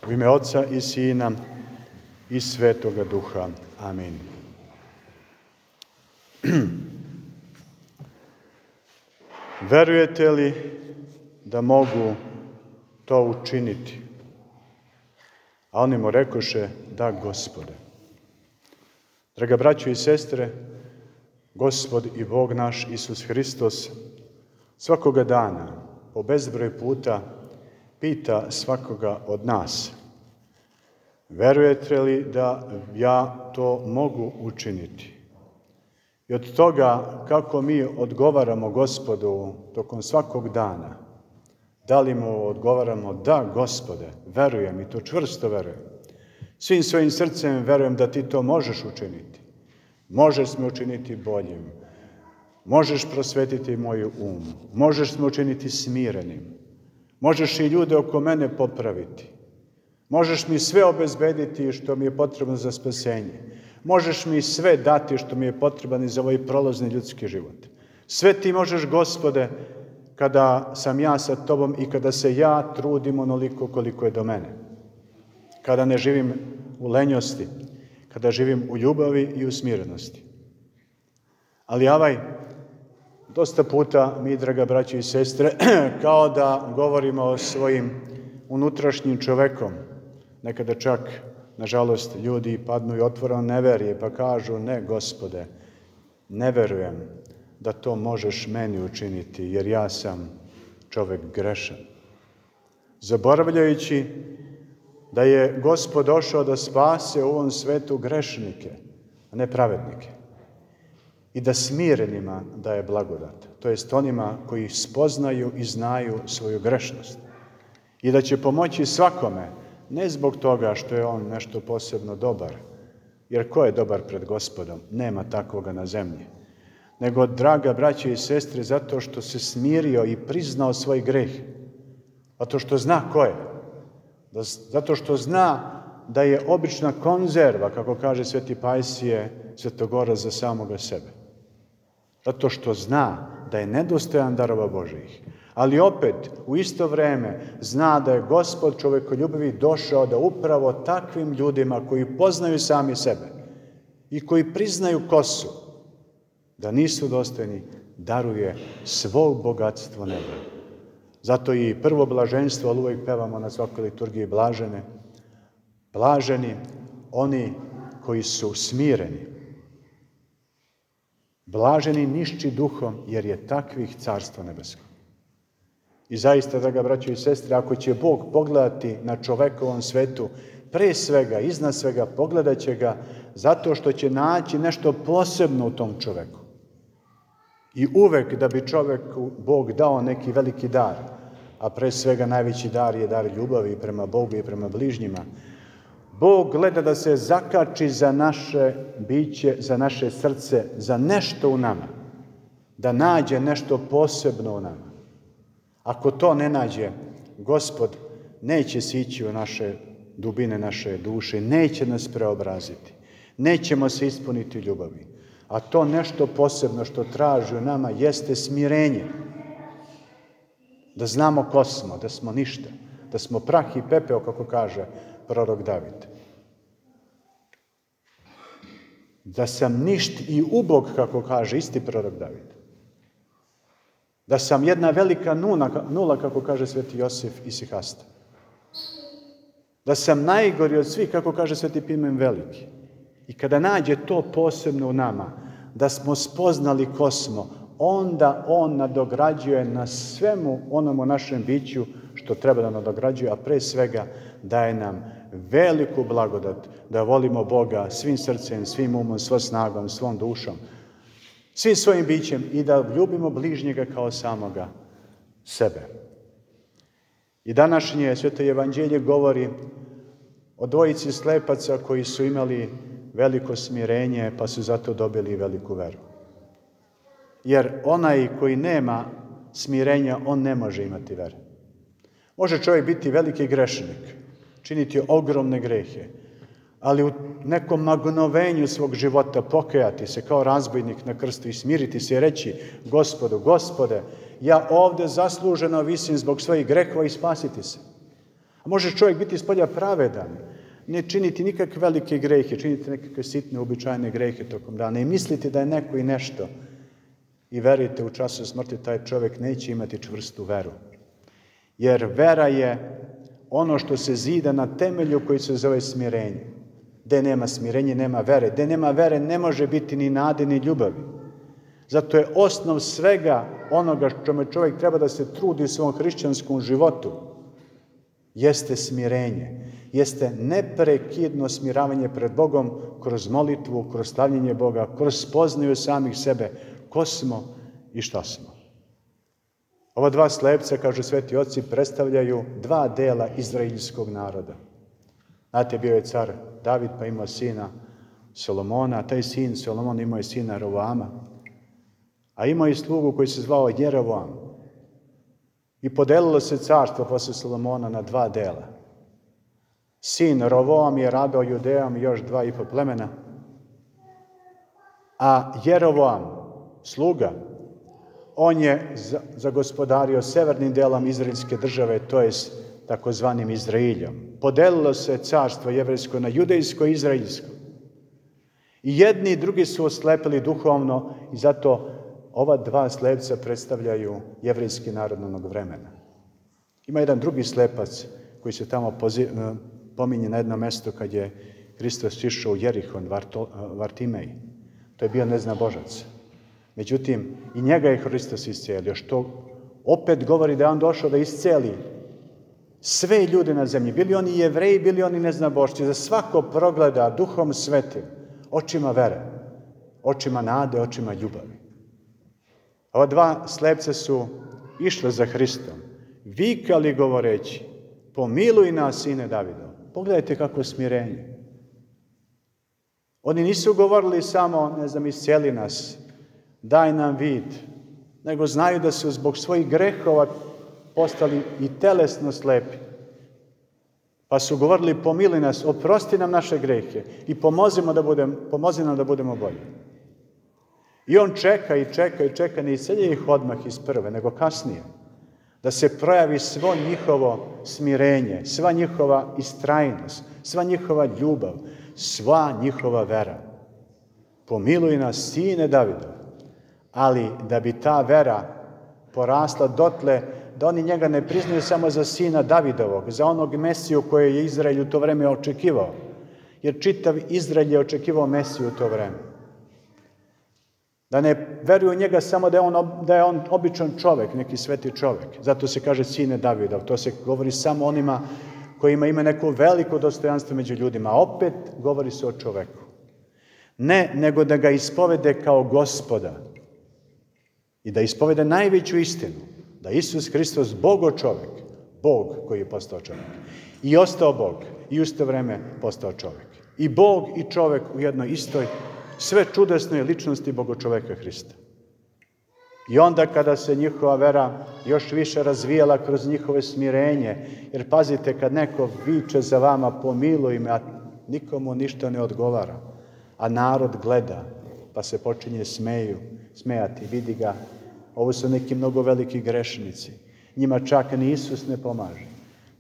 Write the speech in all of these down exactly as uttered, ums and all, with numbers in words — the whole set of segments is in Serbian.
U ime Oca i Sina i Svetoga Duha. Amin. Verujete li da mogu to učiniti? A oni mu rekoše, da, Gospode. Draga braćo i sestre, Gospod i Bog naš Isus Hristos svakoga dana, po bezbroj puta, pita svakoga od nas: verujete li da ja to mogu učiniti? I od toga kako mi odgovaramo Gospodu tokom svakog dana, da li mu odgovaramo, da, Gospode, verujem i to čvrsto verujem. Svim svojim srcem verujem da ti to možeš učiniti. Možeš me učiniti boljim. Možeš prosvetiti moju um. Možeš me učiniti smirenim. Možeš i ljude oko mene popraviti. Možeš mi sve obezbediti što mi je potrebno za spasenje. Možeš mi sve dati što mi je potrebno za ovaj prolazni ljudski život. Sve ti možeš, Gospode, kada sam ja sa tobom i kada se ja trudim onoliko koliko je do mene. Kada ne živim u lenjosti, kada živim u ljubavi i u smirenosti. Ali ovaj, dosta puta mi, draga braćo i sestre, kao da govorimo o svojim unutrašnjim čovekom. Nekada čak, nažalost, ljudi padnu i otvoreno neverje, pa kažu, ne, Gospode, ne verujem da to možeš meni učiniti, jer ja sam čovek grešan. Zaboravljajući da je Gospod došao da spase u ovom svetu grešnike, a ne pravednike. I da smirenima daje blagodat, to jest onima koji spoznaju i znaju svoju grešnost. I da će pomoći svakome, ne zbog toga što je on nešto posebno dobar, jer ko je dobar pred Gospodom? Nema takvoga na zemlji. Nego, draga braće i sestre, zato što se smirio i priznao svoj greh. Zato što zna ko je. Zato što zna da je obična konzerva, kako kaže Sveti Pajsije, Svetogora za samoga sebe. Zato što zna da je nedostojan darova Božijih. Ali opet, u isto vreme, zna da je Gospod čovekoljubivi došao da upravo takvim ljudima koji poznaju sami sebe i koji priznaju ko su, da nisu dostojni, daruje svo bogatstvo neba. Zato i prvo blaženstvo, ali uvijek pevamo na svakoj liturgiji blažene, blaženi oni koji su smireni. Blaženi nišći duhom, jer je takvih carstvo nebesko. I zaista, draga braćo i sestre, ako će Bog pogledati na čovekovom svetu, pre svega, iznad svega, pogledat će ga zato što će naći nešto posebno u tom čoveku. I uvek da bi čoveku Bog dao neki veliki dar, a pre svega najveći dar je dar ljubavi prema Bogu i prema bližnjima, Bog gleda da se zakači za naše biće, za naše srce, za nešto u nama, da nađe nešto posebno u nama. Ako to ne nađe, Gospod neće sići u naše dubine naše duše, neće nas preobraziti, nećemo se ispuniti ljubavi. A to nešto posebno što traži u nama jeste smirenje. Da znamo ko smo, da smo ništa, da smo prah i pepeo, kako kaže prorok David. Da sam ništ i ubog, kako kaže isti prorok David. Da sam jedna velika nula, nula kako kaže Sveti Josif Isihasta. Da sam najgori od svih, kako kaže Sveti Pimen Veliki. I kada nađe to posebno u nama, da smo spoznali ko smo, onda on nadograđuje na svemu onom u našem biću što treba da nadograđuje, a pre svega daje nam veliku blagodat da volimo Boga svim srcem, svim umom, svom snagom, svom dušom, svim svojim bićem i da ljubimo bližnjega kao samoga sebe. I današnje Sveto evanđelje govori o dvojici slepaca koji su imali veliko smirenje, pa su zato dobili veliku veru. Jer onaj koji nema smirenja, on ne može imati veru. Može čovjek biti veliki grešnik, činiti ogromne grehe, ali u nekom magnovenju svog života pokajati se kao razbojnik na krstu i smiriti se i reći: Gospodu, Gospode, ja ovde zasluženo visim zbog svojih grehova i spasiti se. A može čovjek biti spolja pravedan, ne činiti nikakve velike grehe, činiti nekakve sitne, uobičajene grehe tokom dana i misliti da je neko i nešto. I verujte, u času smrti taj čovjek neće imati čvrstu veru. Jer vera je ono što se zida na temelju koji se zove smirenje. Gde nema smirenja, nema vere. Gde nema vere, ne može biti ni nade, ni ljubavi. Zato je osnov svega onoga čome čovjek treba da se trudi u svom hrišćanskom životu, jeste smirenje. Jeste neprekidno smiravanje pred Bogom kroz molitvu, kroz slavljenje Boga, kroz spoznaju samih sebe, ko smo i šta smo. Ova dva slepca, kažu sveti oci, predstavljaju dva dela izraelskog naroda. Znate, bio je car David, pa imao sina Solomona, a taj sin Solomon imao je sina Rovoama, a imao je slugu koji se zvao Jerovoam. I podelilo se carstvo posle Solomona na dva dela. Sin Rovoam je rabao Judejom i još dva i po plemena, a Jerovoam, sluga, on je zagospodario severnim delom izraelske države, to je takozvanim Izraeljom. Podelilo se carstvo jevrejsko na judejsko i izraelsko. I jedni i drugi su oslepili duhovno i zato ova dva slepca predstavljaju jevrejski narod onog vremena. Ima jedan drugi slepac koji se tamo poziv, pominje na jedno mesto kad je Hristos išao u Jerihon, Vartimej. To je bio neznabožac. Međutim, i njega je Hristos iscelio, što opet govori da je on došao da isceli sve ljude na zemlji. Bili oni Jevreji, bili oni neznabošci. Za svako progleda duhom svetim, očima vere, očima nade, očima ljubavi. Ova dva slepca su išle za Hristom, vikali govoreći, pomiluj nas, sine Davidov. Pogledajte kako smirenje. Oni nisu govorili samo, ne znam, iscijeli nas, daj nam vid, nego znaju da su zbog svojih grehova postali i telesno slepi. Pa su govorili, pomiluj nas, oprosti nam naše grehe i pomozimo da budem, pomozi nam da budemo bolji. I on čeka i čeka i čeka, ne iscelje ih odmah iz prve, nego kasnije. Da se projavi svo njihovo smirenje, sva njihova istrajnost, sva njihova ljubav, sva njihova vera. Pomiluj nas, sine Davidov. Ali da bi ta vera porasla dotle da oni njega ne priznaju samo za sina Davidovog, za onog Mesiju koje je Izrael u to vreme očekivao. Jer čitav Izrael je očekivao Mesiju u to vreme. Da ne veruju njega samo da je on, da je on običan čovek, neki sveti čovek. Zato se kaže sine Davidov. To se govori samo onima kojima ima neko veliko dostojanstvo među ljudima. A opet govori se o čoveku. Ne, nego da ga ispovede kao Gospoda. I da ispovede najveću istinu. Da Isus Hristos, Bogo čovek, Bog koji je postao čovek. I ostao Bog. I u isto vreme postao čovek. I Bog i čovek u jednoj istoj, sve čudesnoj ličnosti Bogočoveka Hrista. I onda kada se njihova vera još više razvijala kroz njihove smirenje, jer pazite, kad neko viče za vama, pomiluj me, a nikomu ništa ne odgovara, a narod gleda, pa se počinje smeju, smejati, vidi ga, ovo su neki mnogo veliki grešnici, njima čak ni Isus ne pomaže.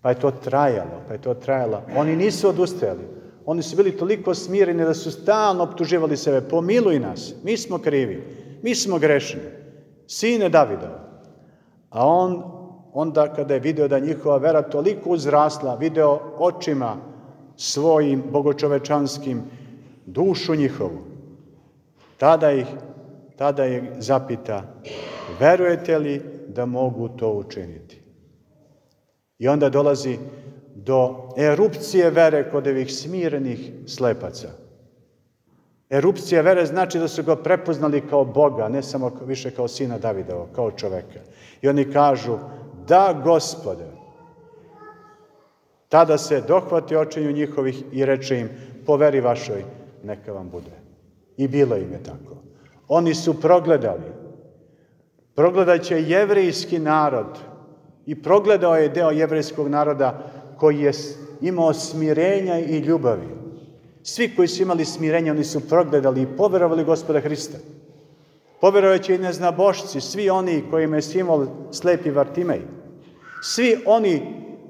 Pa je to trajalo, pa je to trajalo. Oni nisu odustajali. Oni su bili toliko smireni da su stalno optuživali sebe. Pomiluj nas, mi smo krivi, mi smo grešni, sine Davidov. A on, onda kada je video da njihova vera toliko uzrasla, video očima svojim bogočovečanskim dušu njihovu, tada ih, tada je zapita, verujete li da mogu to učiniti? I onda dolazi do erupcije vere kod ovih smirenih slepaca. Erupcija vere znači da su ga prepoznali kao Boga, ne samo više kao sina Davidova, kao čoveka. I oni kažu, da Gospode. Tada se dohvati očiju njihovih i reče im, po veri vašoj neka vam bude. I bilo im je tako. Oni su progledali. Progledat će jevrejski narod i progledao je deo jevrejskog naroda koji je imao smirenja i ljubavi. Svi koji su imali smirenja, oni su progledali i poverovali Gospoda Hrista. Poverovaće i neznabošci, svi oni kojima je simbol slepi Vartimej. Svi oni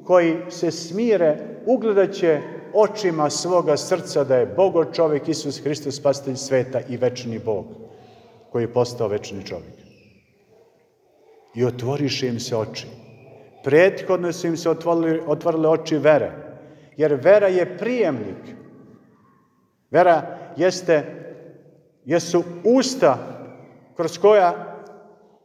koji se smire ugledat će očima svoga srca da je Bogo čovjek Isus Hristos, spasitelj sveta i večni Bog, koji je postao večni čovjek. I otvoriše im se oči. Prethodno su im se otvorili, otvorile oči vere, jer vera je prijemnik. Vera jeste, jesu usta kroz koja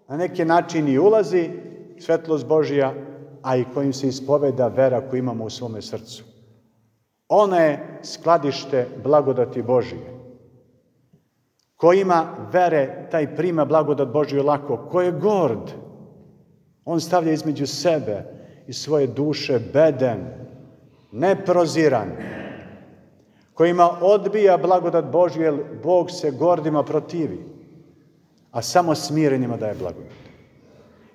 na neki način i ulazi svetlost Božja, a i kojim se ispoveda vera koju imamo u svome srcu. Ona je skladište blagodati Božije. Ko ima vere, taj prima blagodat Božju lako. Ko je gord, on stavlja između sebe i svoje duše beden, neproziran. Ko ima odbija blagodat Božju, jer Bog se gordima protivi, a samo smirenima daje blagodat.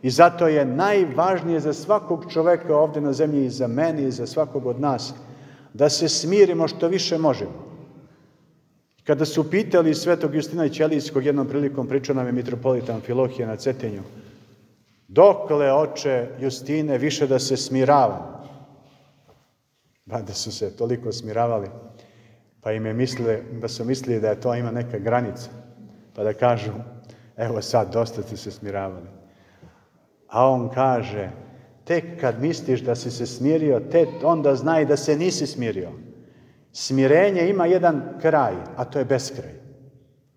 I zato je najvažnije za svakog čoveka ovdje na zemlji, i za mene i za svakog od nas, da se smirimo što više možemo. Kada su pitali svetog Justina Ćelijskog, jednom prilikom pričao nam je mitropolit Amfilohije na Cetinju, dokle, oče Justine, više da se smiravam? Ba da su se toliko smiravali, pa im je mislili, da su mislili da je to ima neka granica, pa da kažu, evo sad, dosta ste se smiravali. A on kaže, tek kad misliš da si se smirio, te onda znaj da se nisi smirio. Smirenje ima jedan kraj, a to je beskraj.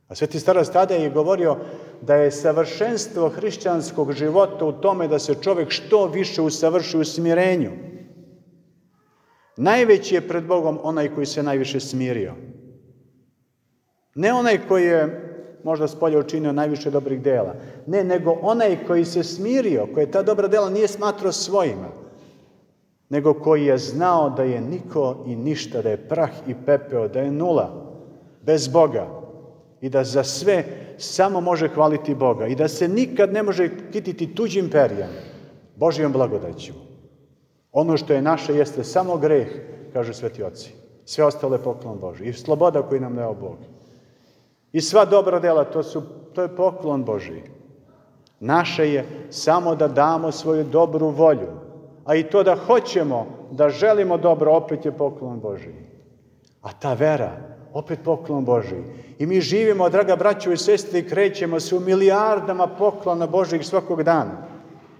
A Sveti starac Tadej je govorio da je savršenstvo hrišćanskog života u tome da se čovjek što više usavrši u smirenju. Najveći je pred Bogom onaj koji se najviše smirio. Ne onaj koji je možda spolja učinio najviše dobrih dela. Ne, nego onaj koji se smirio, koji ta dobra dela nije smatrao svojima, nego koji je znao da je niko i ništa, da je prah i pepeo, da je nula, bez Boga i da za sve samo može hvaliti Boga i da se nikad ne može kititi tuđim perjem, Božjom blagodaću. Ono što je naše jeste samo greh, kažu sveti oci. Sve ostalo je poklon Božji i sloboda koju nam dao Bog. I sva dobra dela, to, su, to je poklon Božji. Naše je samo da damo svoju dobru volju, a i to da hoćemo, da želimo dobro, opet je poklon Božji. A ta vera, opet poklon Božji. I mi živimo, draga braćo i sestre, i krećemo se u milijardama poklona Božjih svakog dana.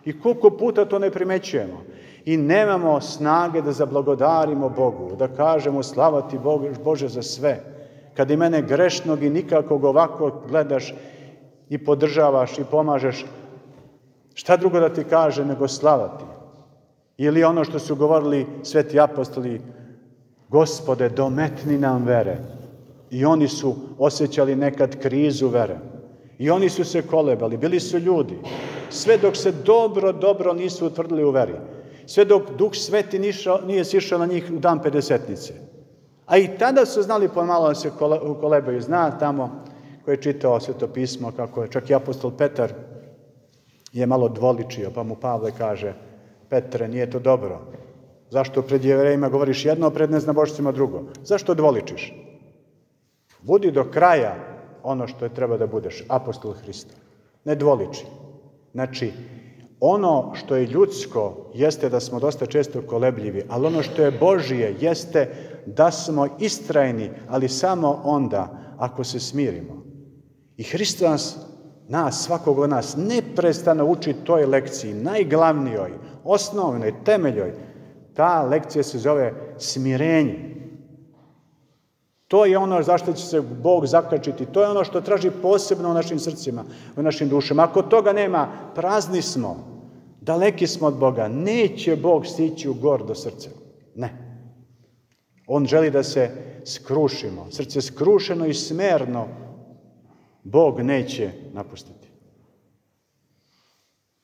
I koliko puta to ne primećujemo. I nemamo snage da zablagodarimo Bogu, da kažemo slava ti Bože za sve. Kad i mene grešnog i nikakvog ovako gledaš i podržavaš i pomažeš, šta drugo da ti kaže nego slava ti? Ili ono što su govorili sveti apostoli, Gospode, dometni nam vere. I oni su osjećali nekad krizu vere. I oni su se kolebali, bili su ljudi. Sve dok se dobro, dobro nisu utvrdili u veri. Sve dok Duh Sveti nišao, nije sišao na njih u dan pedesetnice. A i tada su znali pomalo da se kolebaju. Zna tamo ko je čitao Sveto pismo, kako je čak i apostol Petar je malo dvoličio, pa mu Pavle kaže, Petre, nije to dobro. Zašto pred Jevrejima govoriš jedno, a pred neznabošcima drugo? Zašto dvoličiš? Budi do kraja ono što je treba da budeš, apostol Hrista. Ne dvoliči. Znači, ono što je ljudsko jeste da smo dosta često kolebljivi, ali ono što je Božije jeste da smo istrajni, ali samo onda ako se smirimo. I Hristos nas, svakog od nas, neprestano uči toj lekciji, najglavnijoj, osnovnoj, temeljoj. Ta lekcija se zove smirenje. To je ono zašto će se Bog zakačiti. To je ono što traži posebno u našim srcima, u našim dušama. Ako toga nema, prazni smo, daleki smo od Boga. Neće Bog stići u gordo srce. Ne. On želi da se skrušimo. Srce skrušeno i smerno Bog neće napustiti.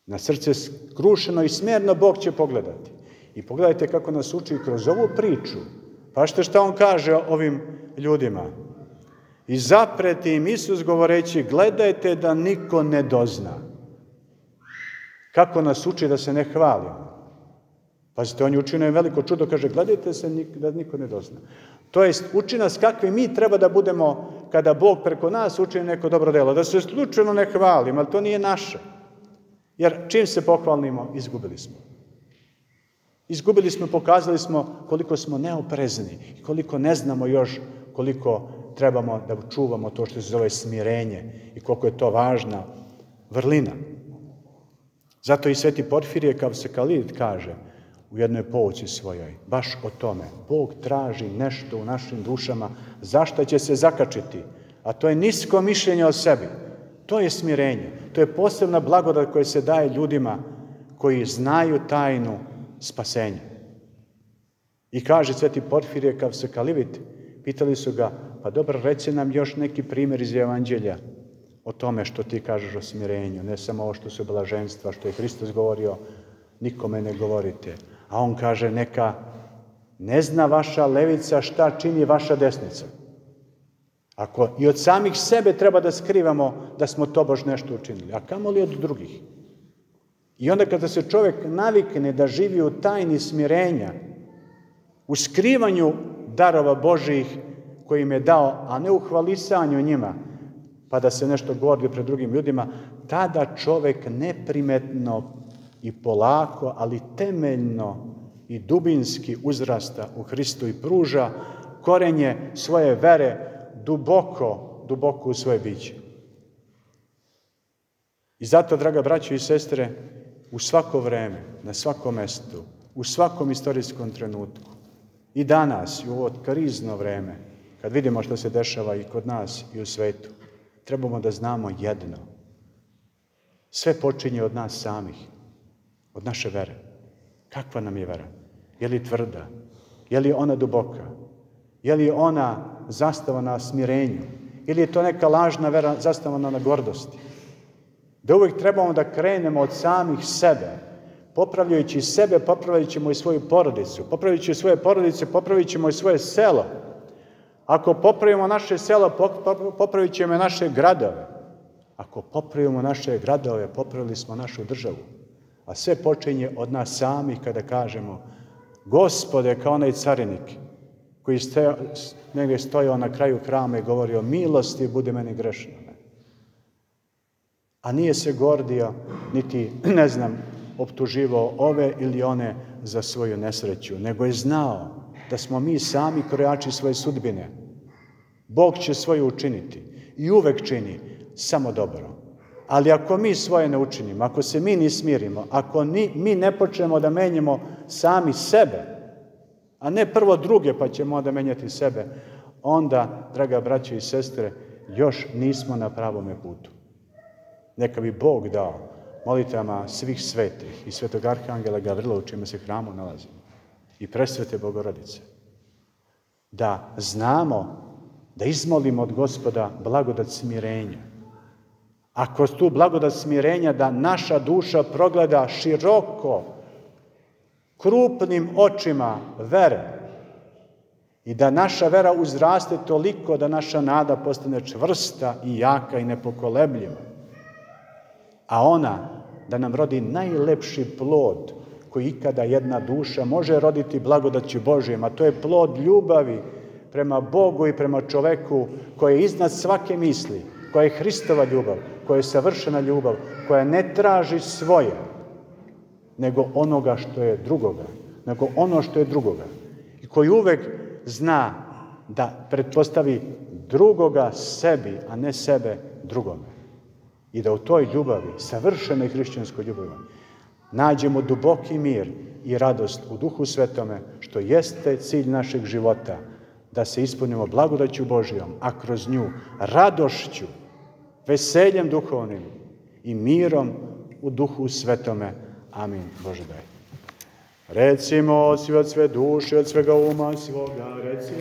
Na srce skrušeno i smerno Bog će pogledati. I pogledajte kako nas uči kroz ovu priču. Pa što šta on kaže ovim ljudima? I zapreti im Isus govoreći, gledajte da niko ne dozna. Kako nas uči da se ne hvalimo? Pazite, on je učinio veliko čudo, kaže, gledajte se da niko ne dozna. To jest, uči nas kakvi mi treba da budemo kada Bog preko nas učini neko dobro delo. Da se slučajno ne hvalimo, ali to nije naše. Jer čim se pohvalimo, izgubili smo. Izgubili smo, pokazali smo koliko smo neoprezni i koliko ne znamo još koliko trebamo da čuvamo to što se zove smirenje i koliko je to važna vrlina. Zato i sveti Porfirije Kavsekalid kaže u jednoj pouci svojoj, baš o tome, Bog traži nešto u našim dušama, zašto će se zakačiti, a to je nisko mišljenje o sebi. To je smirenje, to je posebna blagodat koja se daje ljudima koji znaju tajnu spasenja. I kaže sveti Porfirije Kavsekalid, pitali su ga, pa dobro, reci nam još neki primjer iz Evanđelja o tome što ti kažeš o smirenju, ne samo ovo što su blaženstva, što je Hristos govorio, nikome ne govorite. A on kaže, neka ne zna vaša levica šta čini vaša desnica. Ako i od samih sebe treba da skrivamo da smo tobož nešto učinili, a kamoli od drugih. I onda kada se čovjek navikne da živi u tajni smirenja, u skrivanju darova Božijih koji im je dao, a ne u hvalisanju njima, pa da se nešto gordi pred drugim ljudima, tada čovjek neprimetno i polako, ali temeljno i dubinski uzrasta u Hristu i pruža korenje svoje vere duboko, duboko u svoje biće. I zato, draga braćo i sestre, u svako vreme, na svakom mestu, u svakom istorijskom trenutku, i danas, i u ovo krizno vreme, kad vidimo što se dešava i kod nas i u svetu, trebamo da znamo jedno. Sve počinje od nas samih, od naše vere. Kakva nam je vera? Je li tvrda? Je li ona duboka? Je li ona zastavana na smirenju? Ili je to neka lažna vera zastavana na gordosti? Da uvijek trebamo da krenemo od samih sebe, popravljajući sebe, popravljat ćemo i svoju porodicu. Popravljajući svoje porodice, popravit ćemo i svoje selo. Ako popravimo naše selo, popravit ćemo naše gradove. Ako popravimo naše gradove, popravili smo našu državu. A sve počinje od nas samih kada kažemo, Gospode, kao onaj carinik koji stoja, negdje stojao na kraju hrama i govorio, milosti budi meni grešno. A nije se gordio, niti, ne znam, optuživao ove ili one za svoju nesreću, nego je znao da smo mi sami krojači svoje sudbine. Bog će svoje učiniti i uvek čini samo dobro. Ali ako mi svoje ne učinimo, ako se mi ne smirimo, ako ni, mi ne počnemo da menjamo sami sebe, a ne prvo druge pa ćemo onda menjati sebe, onda, draga braćo i sestre, još nismo na pravome putu. Neka bi Bog dao molitvama svih svetih i svetog arhangela Gavrila u čime se hramu nalazimo i presvete Bogorodice, da znamo da izmolimo od Gospoda blagodat smirenja. A kroz tu blagodat smirenja da naša duša progleda široko, krupnim očima vere i da naša vera uzraste toliko da naša nada postane čvrsta i jaka i nepokolebljiva. A ona da nam rodi najlepši plod koji ikada jedna duša može roditi blagodaću Božijom, a to je plod ljubavi prema Bogu i prema čoveku koja je iznad svake misli, koja je Hristova ljubav, koja je savršena ljubav, koja ne traži svoje, nego onoga što je drugoga, nego ono što je drugoga. I koji uvek zna da pretpostavi drugoga sebi, a ne sebe drugome. I da u toj ljubavi, savršenoj hrišćanskoj ljubavi, nađemo duboki mir i radost u Duhu Svetome, što jeste cilj našeg života, da se ispunimo blagodaću Božijom, a kroz nju radošću, veseljem duhovnim i mirom u Duhu Svetome. Amin. Bože daj. Recimo svi od sve duše, od svega uma svoga, recimo